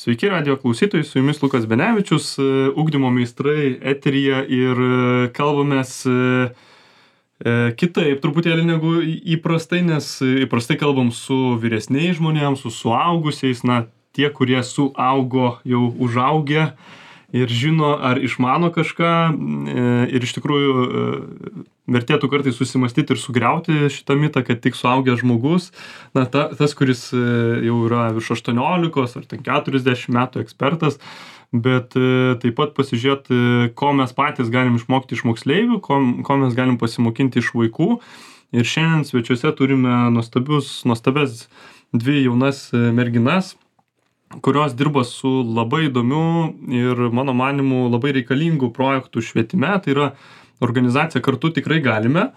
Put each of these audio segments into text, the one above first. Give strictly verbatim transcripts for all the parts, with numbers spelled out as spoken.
Sveiki, radijo klausytojai, su jumis Lukas Benevičius, ugdymo meistrai eteryje ir kalbamės kitaip truputėlį negu įprastai, nes įprastai kalbam su vyresniais žmonėms, su suaugusiais, na, tie, kurie suaugo, jau užaugę ir žino ar išmano kažką ir iš tikrųjų vertėtų kartais susimąstyti ir sugriauti šitą mitą, kad tik suaugęs žmogus, na, ta, tas, kuris jau yra virš aštuoniolikos ar ten keturiasdešimt metų ekspertas, bet taip pat pasižiūrėti, ko mes patys galim išmokti iš moksleivių, ko, ko mes galim pasimokinti iš vaikų. Ir šiandien svečiuose turime nuostabius, nuostabes dvi jaunas merginas, kurios dirba su labai įdomiu ir mano manimu labai reikalingų projektų švietime. Tai yra organizacija Kartu tikrai galime.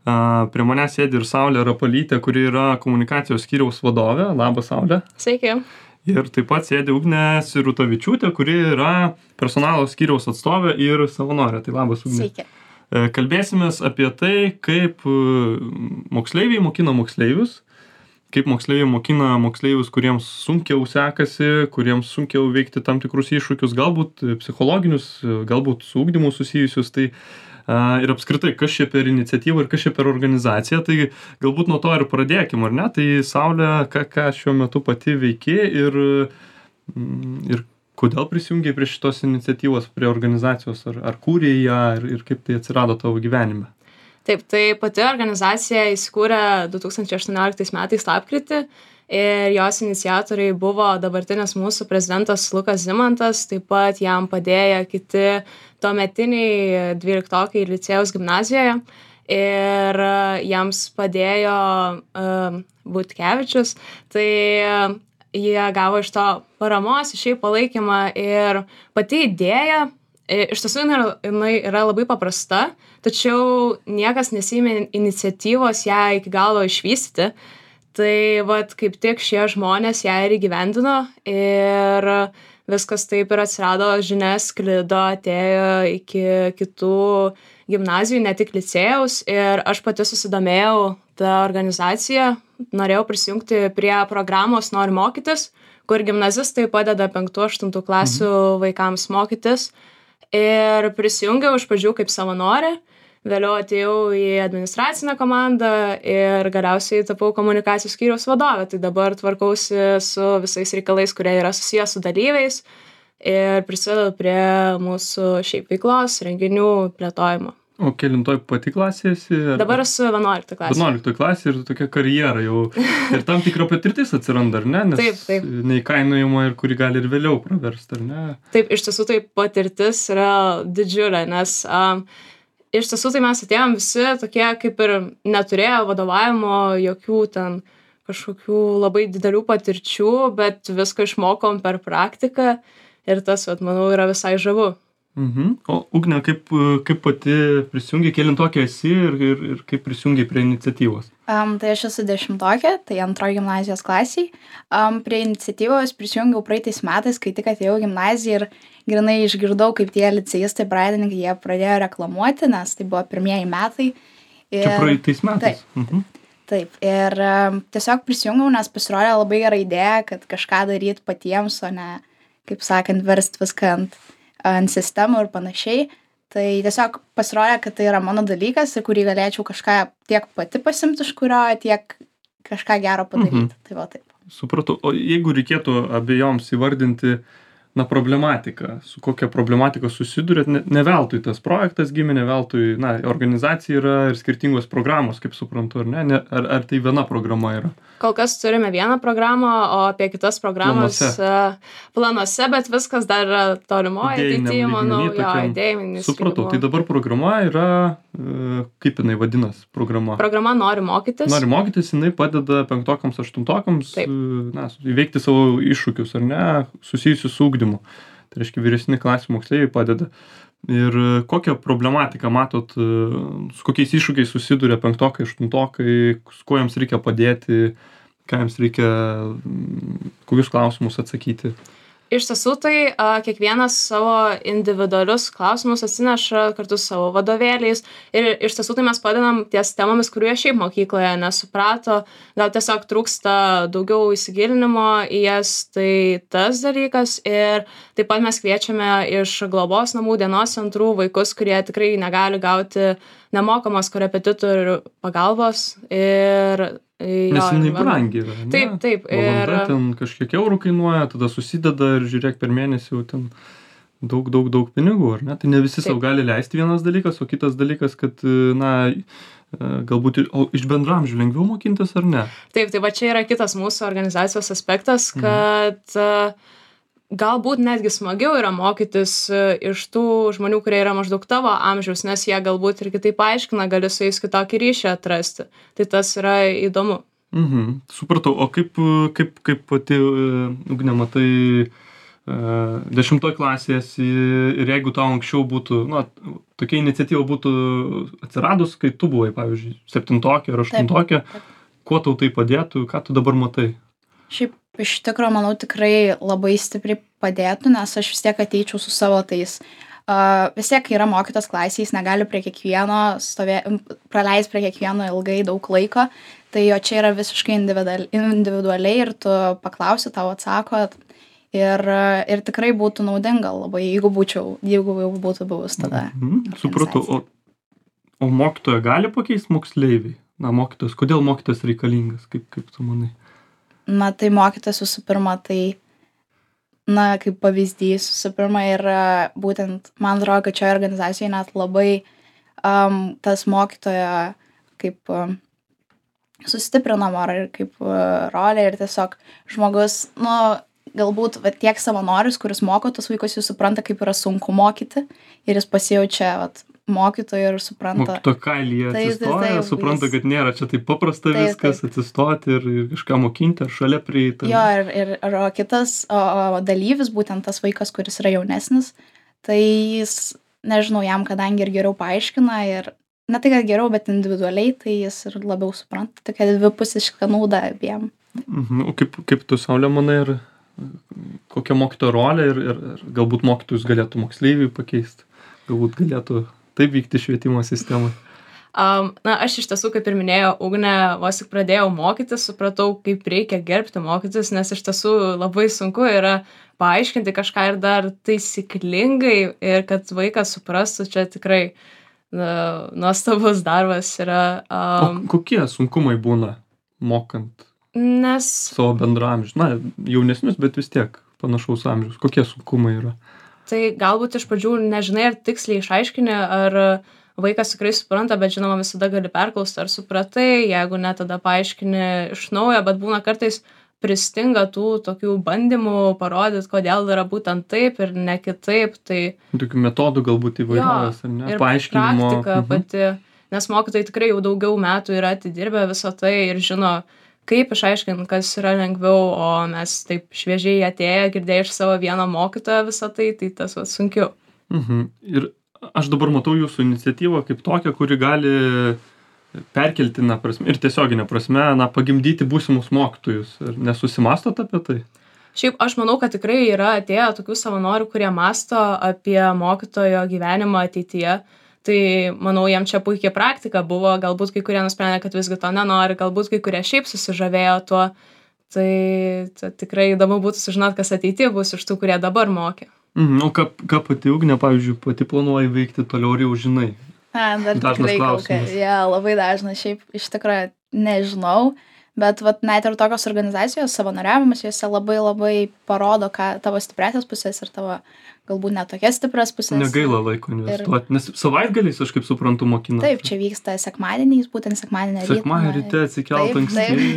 Prie manęs sėdi ir Saulė Rapalytė, kuri yra komunikacijos skyriaus vadovė. Labas, Saulė. Sveiki. Ir taip pat sėdi Ugnė Sirutavičiūtė, kuri yra personalo skyriaus atstovė ir savanorė. Tai labas, Ugnė. Sveiki. Kalbėsimės apie tai, kaip moksleiviai mokina moksleivius, kaip moksleiviai mokina moksleivius, kuriems sunkiau sekasi, kuriems sunkiau veikti tam tikrus iššūkius, galbūt psichologinius, galbūt su ugdymu susijusius. Tai a, ir apskritai, kas čia per iniciatyvą ir kas čia per organizaciją, tai galbūt nuo to ir pradėkim, ar ne? Tai Saulė, ką, ką šiuo metu pati veiki ir, ir kodėl prisijungiai prie šitos iniciatyvos, prie organizacijos, ar, ar kūrei ją ir, ir kaip tai atsirado tavo gyvenime? Taip, tai pati organizacija įsikūrė du tūkstančiai aštuonioliktais metais lapkritį ir jos iniciatoriai buvo dabartinis mūsų prezidentas Lukas Zimantas, taip pat jam padėjo kiti tuometiniai dvyliktokai licėjaus gimnazijoje ir jiems padėjo uh, Butkevičius, tai uh, jie gavo iš to paramos, iš jų palaikymą ir pati idėja iš tiesų jinai yra labai paprasta, tačiau niekas nesiėmė iniciatyvos ją iki galo išvystyti. Tai vat kaip tik šie žmonės ją ir įgyvendino ir viskas taip ir atsirado, žinias sklido, atėjo iki kitų gimnazijų, ne tik licėjaus. Ir aš pati susidomėjau tą organizaciją, norėjau prisijungti prie programos Noriu mokytis, kur gimnazistai padeda penktų aštuntų klasių mhm. vaikams mokytis. Ir prisijungiau iš pradžių kaip savanorė, vėliau atėjau į administracinę komandą ir galiausiai tapau komunikacijos skyriaus vadovė. Tai dabar tvarkausi su visais reikalais, kurie yra susijęs su dalyviais ir prisidedu prie mūsų šiaip veiklos, renginių plėtojimo. O kelintoj pati klasė esi? Ar... Dabar esu vienuoliktoj klasė. vienuoliktoj klasė ir tokia karjera jau. Ir tam tikra patirtis atsiranda, ar ne? Nes taip, taip. Neįkainojama ir kuri gali ir vėliau praversti, ar ne? Taip, iš tiesų tai patirtis yra didžiulė, nes um, iš tiesų tai mes atėjom visi tokie kaip ir neturėjo vadovavimo, jokių ten kažkokių labai didelių patirčių, bet viską išmokom per praktiką ir tas, vat, manau, yra visai žavu. Mhm. O Ugne, kaip, kaip pati prisijungiai, kelintokė esi ir, ir, ir kaip prisijungiai prie iniciatyvos? Um, tai aš esu dešimtokė, tai antroji gimnazijos klasiai. Um, prie iniciatyvos prisijungiau praeitais metais, kai tik atėjau gimnaziją ir grinai išgirdau, kaip tie licėjistai pradininkai, jie pradėjo reklamuoti, nes tai buvo pirmieji metai. Ir... Čia praeitais metais? Taip, mhm. taip. Ir um, tiesiog prisijungiau, nes pasirodė labai gera idėja, kad kažką daryti patiems, o ne, kaip sakant, verst viską ant ant sistemų ir panašiai. Tai tiesiog pasirodė, kad tai yra mano dalykas ir kurį galėčiau kažką tiek pati pasimti iš kurio, tiek kažką gero padaryti. Mhm. Tai va taip. Supratau. O jeigu reikėtų abiejoms įvardinti, na, problematiką, su kokia problematika susidurėt, ne, ne veltui tas projektas gimė, ne veltui, na, organizacija yra ir skirtingos programos, kaip suprantu, ar ne? ne ar, ar tai viena programa yra? Kol kas turime vieną programą, o apie kitas programas planuose, planuose bet viskas dar yra tolimoje ateityje, manau, jo, idėjinis. Supratau, tai dabar programa yra, kaip jinai vadinas, programa? Programa Noriu mokytis. Noriu mokytis, jinai padeda penktokams, aštuntokams, na, įveikti savo iššūkius, ar ne, susijusius su ugdymu. Tai reiškia, vyresni klasių moksleiviai padeda. Ir kokią problematiką matot, su kokiais iššūkiais susiduria penktokai, aštuntokai, su kuo jiems reikia padėti, ką jiems reikia, kokius klausimus atsakyti? Iš tiesų, tai a, kiekvienas savo individualius klausimus atsineša kartu su savo vadovėliais ir iš tiesų tai mes padedam ties temomis, kurių jie šiaip mokykloje nesuprato, gal tiesiog trūksta daugiau įsigilinimo į jas, tai tas dalykas ir taip pat mes kviečiame iš globos namų dienos centrų vaikus, kurie tikrai negali gauti nemokamos korepetitorių pagalbos ir Nes jinai brangi yra, ne? Taip, taip. Valanda Ir ten kažkiek eurų kainuoja, tada susideda ir žiūrėk per mėnesį jau ten daug, daug, daug pinigų, ar ne? Tai ne visi savo gali leisti vienas dalykas, o kitas dalykas, kad, na, galbūt ir, o iš bendramžių lengviau mokintis ar ne? Taip, tai va čia yra kitas mūsų organizacijos aspektas, kad mhm. galbūt netgi smagiau yra mokytis iš tų žmonių, kurie yra maždaug tavo amžiaus, nes jie galbūt ir kitaip aiškina, gali su jais kitokį ryšį atrasti. Tai tas yra įdomu. Mhm, supratau. O kaip, kaip, kaip pati, Ugne, matai dešimtoj klasės ir jeigu tau anksčiau būtų, na, tokia iniciatyva būtų atsiradus, kai tu buvai, pavyzdžiui, septintokė ar aštuntokė, kuo tau tai padėtų, ką tu dabar matai? Šiaip iš tikrųjų, manau, tikrai labai stipriai padėtų, nes aš vis tiek ateičiau su savo tais. Uh, vis tiek, kai yra mokytas klasėje, jis negali prie kiekvieno stovė, praleis prie kiekvieno ilgai daug laiko, tai jo čia yra visiškai individual, individualiai ir tu paklausi, tau atsako ir, ir tikrai būtų naudinga labai, jeigu būčiau, jeigu jau būtų buvus tada. Mhm, supratau. O, o mokytoją gali pakeisti moksleiviai? Na, mokytojas, kodėl mokytojas reikalingas, kaip, kaip tu manai? Na, tai mokytas visų pirma, tai, na, kaip pavyzdys visų pirma ir būtent, man atrodo, kad čia organizacijoje net labai um, tas mokytojo kaip um, sustiprinama ir kaip uh, rolė ir tiesiog žmogus, nu, galbūt va, tiek savanorius, kuris moko tos vaikus, jis supranta, kaip yra sunku mokyti ir jis pasijaučia, vat, mokytojų ir supranta. Mokyto kailyje atsistoja, supranta, kad nėra čia taip paprasta taip, viskas, taip. Atsistoti ir, ir kažką mokinti, ar šalia prieiti. Jo, ir, ir, ir o kitas o, o dalyvis, būtent tas vaikas, kuris yra jaunesnis, tai jis, nežinau, jam kadangi ir geriau paaiškina ir, ne tai, kad geriau, bet individualiai, tai jis ir labiau supranta, tokia dvipusiška nauda abiem. Mhm. O kaip, kaip tu, Saulė, manai, ir kokia mokytojo rolė ir, ir, ir galbūt mokytojus galėtų moksleiviai pakeisti, galbūt galėtų taip vykti švietimo sistemai? Um, na, aš iš tiesų, kaip ir minėjau, Ugnė, vos tik pradėjau mokytis, supratau, kaip reikia gerbti mokytis, nes iš tiesų labai sunku yra paaiškinti kažką ir dar taisyklingai ir kad vaikas suprastų, čia tikrai na, nuostabus darbas yra. Um, o kokie sunkumai būna mokant nes... savo bendraamžius? Na, jaunesnius, bet vis tiek panašaus amžiaus. Kokie sunkumai yra? Tai galbūt iš pradžių nežinai, ar tiksliai išaiškini, ar vaikas tikrai supranta, bet žinoma visada gali perklausti, ar supratai, jeigu ne, tada paaiškini iš naujo, bet būna kartais pristinga tų tokių bandymų parodyti, kodėl yra būtent taip ir ne kitaip. Tai... Tokių metodų galbūt įvairiausias, ar ne? Ir paaiškinimo. Praktika mhm. pati, nes mokytojai tikrai jau daugiau metų yra atidirbę visą tai ir žino, kaip išaiškinti, kas yra lengviau, o mes taip šviežiai atėję, girdėję iš savo vieno mokytojo visą tai, tai tas va, sunkiau. Mhm. Ir aš dabar matau jūsų iniciatyvą kaip tokią, kuri gali perkeltinę prasme ir tiesioginę prasme, na, pagimdyti būsimus mokytojus. Ir nesusimastot apie tai? Šiaip aš manau, kad tikrai yra atėję tokių savanorių, kurie masto apie mokytojo gyvenimą ateityje. Tai, manau, jam čia puikiai praktika buvo, galbūt kai kurie nusprendė, kad visgi to nenori, galbūt kai kurie šiaip susižavėjo tuo. Tai, tai tikrai įdomu būtų sužinoti, kas ateityje bus iš tų, kurie dabar mokė. Mhm, o ką, ką pati Ugnė, pavyzdžiui, pati planuoji veikti toliau ir jau žinai? A, dar dažnas tikrai klausimas. Ja, labai dažnas, šiaip iš tikrųjų nežinau, bet vat, net ir tokios organizacijos savanoriavimas, jose labai labai parodo, ką tavo stipriasias pusės ir tavo galbūt net tokias stiprias pusės. Negaila laiko investuoti, ir... nes savaitgaliais, aš kaip suprantu, mokinasi. Taip, čia vyksta sekmadieniais, būtent sekmadienį rytą. Sekmadienį ryte atsikelt anksti.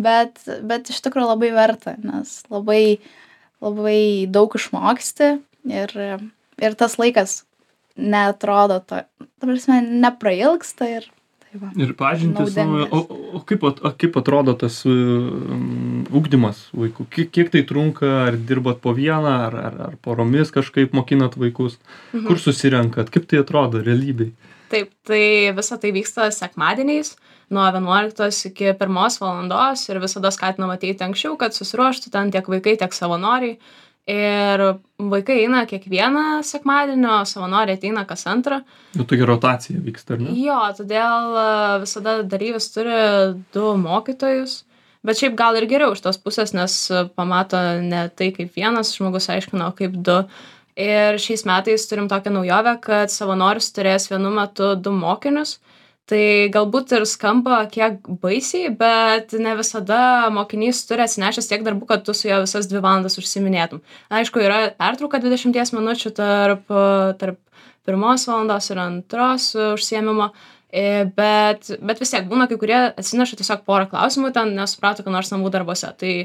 bet, bet iš tikrųjų labai verta, nes labai, labai daug išmoksti ir, ir tas laikas neatrodo, to, ta prasme, neprailgsta ir tai va, ir pažintis, nu, o, o, kaip, o kaip atrodo tas um, ugdymas vaikų? Kiek, kiek tai trunka, ar dirbat po vieną, ar, ar, ar poromis kažkaip mokinat vaikus? Mhm. Kur susirenkat? Kaip tai atrodo realybėj? Taip, tai visa tai vyksta sekmadieniais nuo vienuoliktos iki pirmos valandos ir visada skatinam ateiti anksčiau, kad susiruoštų ten tiek vaikai, tiek savanoriai. Ir vaikai eina kiekvieną sekmadienį, o savanoriai ateina kas antrą. Jau tokia rotacija vyksta, ar ne? Jo, todėl e, visada dalyvis turi du mokytojus. Bet šiaip gal ir geriau iš tos pusės, nes pamato ne tai, kaip vienas žmogus aiškina, o kaip du. Ir šiais metais turim tokią naujovę, kad savanoris turės vienu metu du mokinius. Tai galbūt ir skamba kiek baisiai, bet ne visada mokinys turi atsinešęs tiek darbų, kad tu su juo visas dvi valandas užsiminėtum. Aišku, yra pertrauka dvidešimties minučių tarp, tarp pirmos valandos ir antros užsiėmimo, bet, bet vis tiek būna, kai kurie atsineša tiesiog porą klausimų, ten nesuprato, ką nors namų darbuose. Tai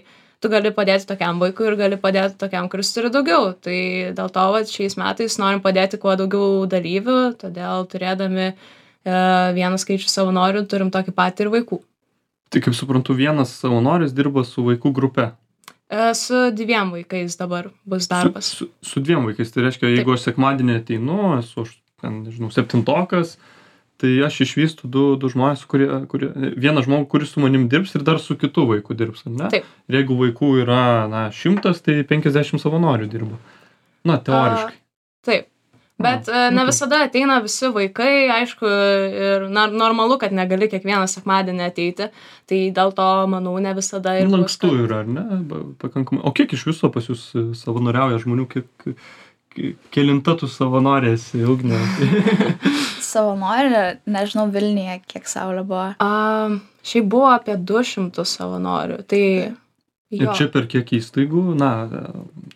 tu gali padėti tokiam vaikui ir gali padėti tokiam, kuris turi daugiau. Tai dėl to vat, šiais metais norim padėti kuo daugiau dalyvių, todėl turėdami vieną skaičių savanorių turim tokį patį ir vaikų. Tai kaip suprantu, vienas savanoris dirba su vaikų grupe. Su dviem vaikais dabar bus darbas. Su, su, su dviem vaikais, tai reiškia, jeigu Taip. Aš sekmadienį ateinu, esu, aš, ten, nežinau, septintokas, tai aš išvystu du, du žmonės, kurie, kurie, vieną žmogų, kuris su manim dirbs ir dar su kitu vaiku dirbs, ne? Taip. Ir jeigu vaikų yra, na, šimtas, tai penkiasdešimt savanorių dirba. Na, teoriškai. A, taip. Bet A, ne visada ateina visi vaikai, aišku, ir na, normalu, kad negali kiekvieną sekmadienį ateiti, tai dėl to, manau, ne visada ir bus. Lankstu kad... yra, ar ne? Pakankamai. O kiek iš viso pas jūs savanoriauja žmonių, kiek, kelinta tu savanorės, Ugnė? Savanorių, nežinau, Vilniuje, kiek Saulė buvo. A, šiaip buvo apie du šimtus savanorių, tai... Jo. Ir čia per kiek įstaigų, na,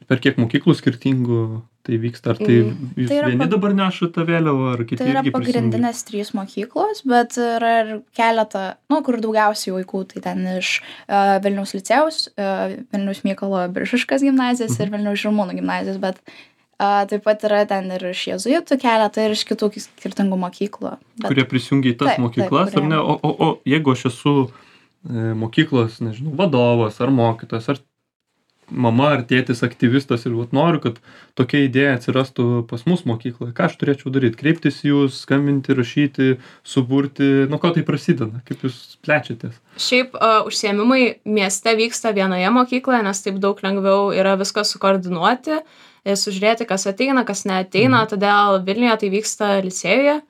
per kiek mokyklų skirtingų tai vyksta, ar tai jūs tai vieni pag... dabar nešate vėliavą, ar kiti irgi prisijungia? Tai yra pagrindinės trys mokyklos, bet yra ir keletą, nu, kur daugiausiai vaikų, tai ten iš uh, Vilniaus licėjaus, uh, Vilniaus Mykolo Biržiškos gimnazijos mhm. ir Vilniaus Žirmūnų gimnazijos, bet uh, taip pat yra ten ir iš jėzuitų keletą ir iš kitų skirtingų mokyklų. Bet... Kurie prisijungia į tas taip, mokyklas, taip, kurie... ar ne? O, o, o jeigu aš esu mokyklos, nežinau, vadovas ar mokytojas, ar mama ar tėtis aktyvistas ir vat, noriu, kad tokia idėja atsirastų pas mus mokykloje, ką aš turėčiau daryti? Kreiptis jūs, skambinti, rašyti, suburti, nuo ko tai prasideda, kaip jūs plečiatės? Šiaip uh, užsiėmimai mieste vyksta vienoje mokykloje, nes taip daug lengviau yra viską sukoordinuoti, sužiūrėti, kas ateina, kas neateina, mm. todėl Vilniuje tai vyksta licėjuje,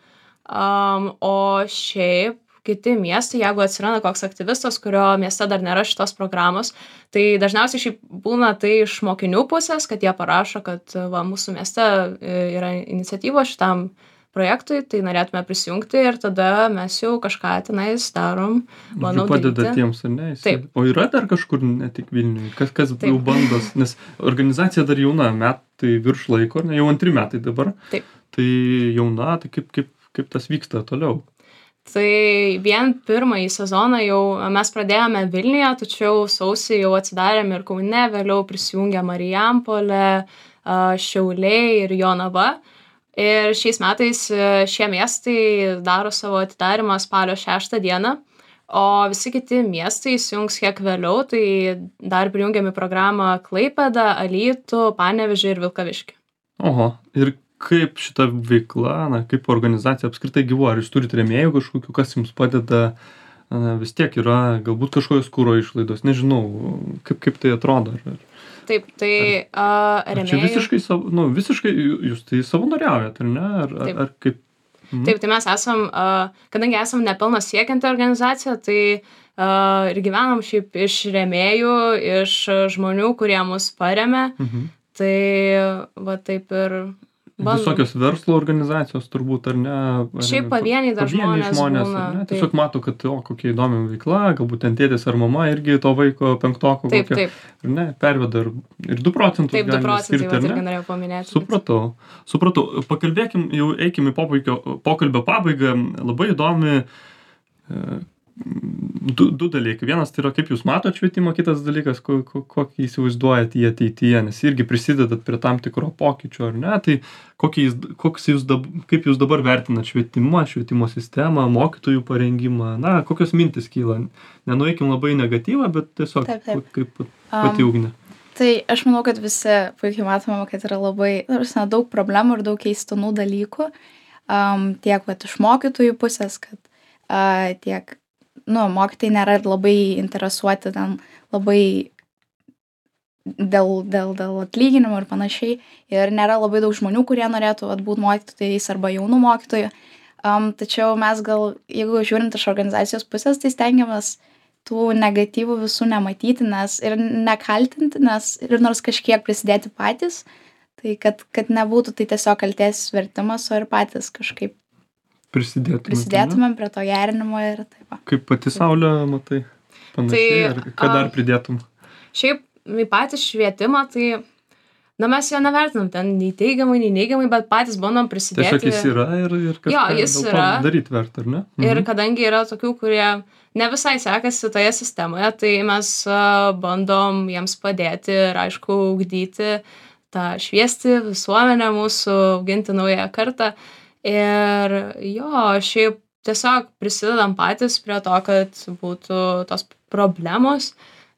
um, o šiaip kiti miestai, jeigu atsiranda koks aktyvistas, kurio mieste dar nėra šitos programos, tai dažniausiai šiaip būna tai iš mokinių pusės, kad jie parašo, kad va, mūsų mieste yra iniciatyva šitam projektui, tai norėtume prisijungti ir tada mes jau kažką tenais darom, manau, daryti. Padeda tiems, ar ne? Taip. O yra dar kažkur, ne tik Vilniuje, kas, kas jau bandos, nes organizacija dar jauna, metai virš laiko, ne, jau antri metai dabar. Taip. Tai jauna, tai kaip, kaip, kaip tas vyksta toliau? Tai vien pirmąjį sezoną jau mes pradėjome Vilniuje, tačiau sausį jau atsidarėm ir Kaune, vėliau prisijungė Marijampolė, Šiauliai ir Jonava. Ir šiais metais šie miestai daro savo atidarimą spalio šeštą dieną, o visi kiti miestai įsijungs kiek vėliau, tai dar prijungiam į programą Klaipėdą, Alytų, Panevėžį ir Vilkaviškį. Oho, ir kaip šita veikla, na, kaip organizacija apskritai gyvuoja, ar jūs turite rėmėjų kažkokių, kas jums padeda, na, vis tiek yra galbūt kažkokios kūro išlaidos, nežinau, kaip, kaip tai atrodo. Ar, Taip, tai uh, rėmėjų... Ar čia visiškai, nu, visiškai jūs tai savanoriaujat, ar ne? Ar, ar, ar kaip... Mhm. Taip, tai mes esam, uh, kadangi esam nepelno siekianti organizacija, tai uh, ir gyvenam šiaip iš rėmėjų, iš žmonių, kurie mus paremia, mhm. tai va taip ir... Bandom. Visokios verslo organizacijos turbūt, ar ne? Ar Šiaip pavieniai dar pavieniai žmonės, žmonės būna. Ne? Tiesiog mato, kad o, kokia įdomi veikla, galbūt ten tėtis ar mama irgi to vaiko penktoko taip, kokia, taip. ar ne, perveda ir, ir du procentus taip, galime skirti, taip, ar ne? Taip, norėjau paminėti. Supratau, supratau. Pakalbėkim, jau eikim į pokalbio, pokalbio pabaigą. Labai įdomi e, du, du dalykai. Vienas tai yra, kaip jūs matote švietimą, kitas dalykas, ko, ko, kokį įsivaizduojat į ateityje, nes irgi prisidedat prie tam tikro pokyčio, ar ne? Tai jis, jūs dab, kaip jūs dabar vertinat švietimą, švietimo sistemą, mokytojų parengimą, na, kokios mintis kyla? Nenueikim labai negatyvą, bet tiesiog taip, taip. Kaip pati Ugnė. Um, tai aš manau, kad visi puikiai matome, kad yra labai na, daug problemų ir daug keistinų dalykų, um, tiek vat, iš mokytojų pusės, kad uh, tiek nu, mokytojai nėra labai interesuoti ten labai dėl, dėl, dėl atlyginimų ir panašiai. Ir nėra labai daug žmonių, kurie norėtų vat, būti mokytojais arba jaunų mokytojų. Um, tačiau mes gal, jeigu žiūrint iš organizacijos pusės, tai stengiamės tų negatyvų visų nematyti nes, ir nekaltinti, nes ir nors kažkiek prisidėti patys, tai kad, kad nebūtų tai tiesiog kaltės vertimas, o ir patys kažkaip prisidėtumėm, prisidėtumėm prie to gerinimo ir taip. Va. Kaip pati Saulė, matai, panašiai, Tai, ar ką dar pridėtum? Šiaip į patį švietimą, tai na, mes jo nevertinam ten nei teigiamai, nei neigiamai, bet patys bandom prisidėti. Tiesiog jis yra ir, ir kažką Jo, jis dėl to yra. daryti verta, ar ne? Ir kadangi yra tokių, kurie ne visai sekasi toje sistemoje, tai mes a, bandom jiems padėti ir, aišku, ugdyti tą šviesti visuomenę mūsų, auginti naują kartą. Ir jo, šiaip tiesiog prisidedam patys prie to, kad būtų tos problemos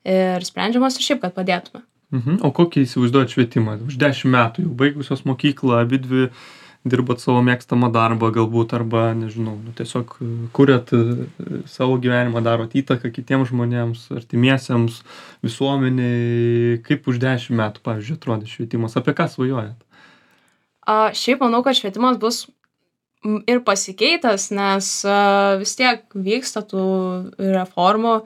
ir sprendžiamos ir šiaip, kad padėtume. Mhm. O kokį įsivaizduojat švietimą? Už dešimt metų jau baigusios mokyklą, abidvi dirbat savo mėgstamą darbą galbūt, arba, nežinau, nu, tiesiog kuriat savo gyvenimą, darot įtaką kitiems žmonėms, artimiesiems, visuomeniai. Kaip už dešimt metų, pavyzdžiui, atrodė švietimas? Apie ką svajojat? A, šiaip manau, kad švietimas bus ir pasikeitęs, nes a, vis tiek vyksta tų reformų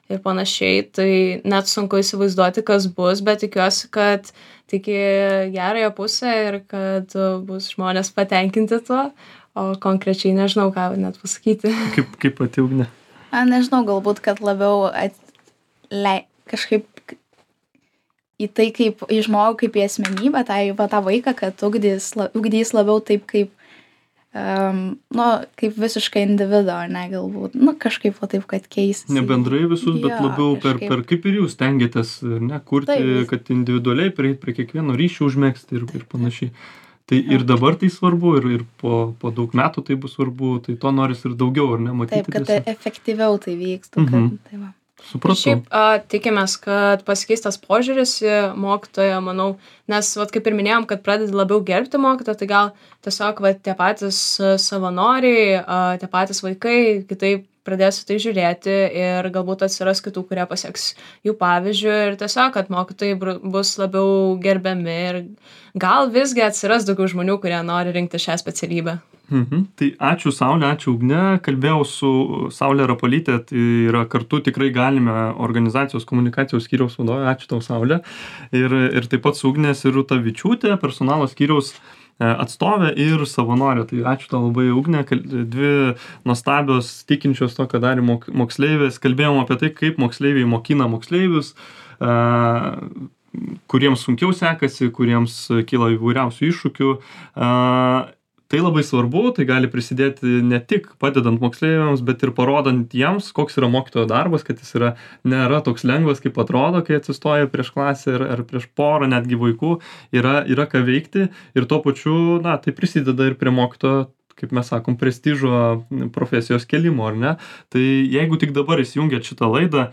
ir panašiai, tai net sunku įsivaizduoti, kas bus, bet tikiuosi, kad tik į gerąją pusę ir kad bus žmonės patenkinti tuo, o konkrečiai nežinau, ką net pasakyti. Kaip, kaip pati Ugnė? A, nežinau, galbūt, kad labiau at... Le... kažkaip į tai, kaip į žmogų, kaip į asmenybę, tai, va, tą vaiką, kad ugdys, ugdys labiau taip, kaip Um, nu, kaip visiškai individo, ne, galbūt, nu, kažkaip va taip, kad keisis. Ne bendrai visus, bet Jo, labiau per, kažkaip. per, kaip ir jūs stengiatės, ne, kurti, Taip. kad individualiai prie, prie kiekvieno ryšio užmėgsti ir, ir panašiai. Tai ir dabar tai svarbu, ir, ir po, po daug metų tai bus svarbu, tai to noris ir daugiau, ar ne, matyti. Taip, kad tiesiog. efektyviau tai vyktų, kad, Mhm. tai va. Supratau. Šiaip a, tikimės, kad pasikeis tas požiūris į mokytoją, manau, nes, vat, kaip ir minėjom, kad pradedi labiau gerbti mokytoją, tai gal tiesiog vat, tie patys a, savanoriai, a, tie patys vaikai kitaip pradės į tai žiūrėti ir galbūt atsiras kitų, kurie pasieks jų pavyzdžių ir tiesiog, kad mokytojai bru- bus labiau gerbiami ir gal visgi atsiras daugiau žmonių, kurie nori rinkti šią specialybę. Mhm. Tai ačiū Saulė, ačiū Ugne. Kalbėjau su Saulė Rapolytė, tai yra kartu tikrai galime organizacijos komunikacijos skyriaus vadovė. Ačiū tau, Saulė. Ir, ir taip pat su Ugnė Siruta Vičiūtė, personalo skyriaus e, atstovė ir savanorė. Tai ačiū tau labai, Ugnė. Kal- Dvi nuostabios tikinčios to, ką darė mok- moksleivės. Kalbėjom apie tai, kaip moksleiviai mokina moksleivius, e, kuriems sunkiau sekasi, kuriems kyla įvairiausių iššūkių. E, Tai labai svarbu, tai gali prisidėti ne tik padedant moksleiviams, bet ir parodant jiems, koks yra mokytojo darbas, kad jis yra, nėra toks lengvas, kaip atrodo, kai atsistoja prieš klasę ar, ar prieš porą netgi vaikų, yra, yra ką veikti ir tuo pačiu, na, tai prisideda ir prie mokytojo, kaip mes sakom, prestižo profesijos kelimo, ar ne? Tai jeigu tik dabar įsijungiat šitą laidą,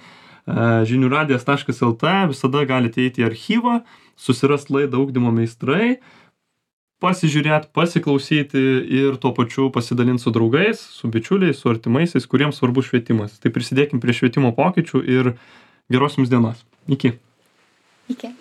žinių radijas taškas lt, visada galite eiti į archyvą, susirast laidą Ugdymo meistrai, pasižiūrėti, pasiklausyti ir tuo pačiu pasidalinti su draugais, su bičiuliais, su artimaisiais, kuriems svarbus švietimas. Tai prisidėkim prie švietimo pokyčių ir geros jums dienos. Iki. Iki.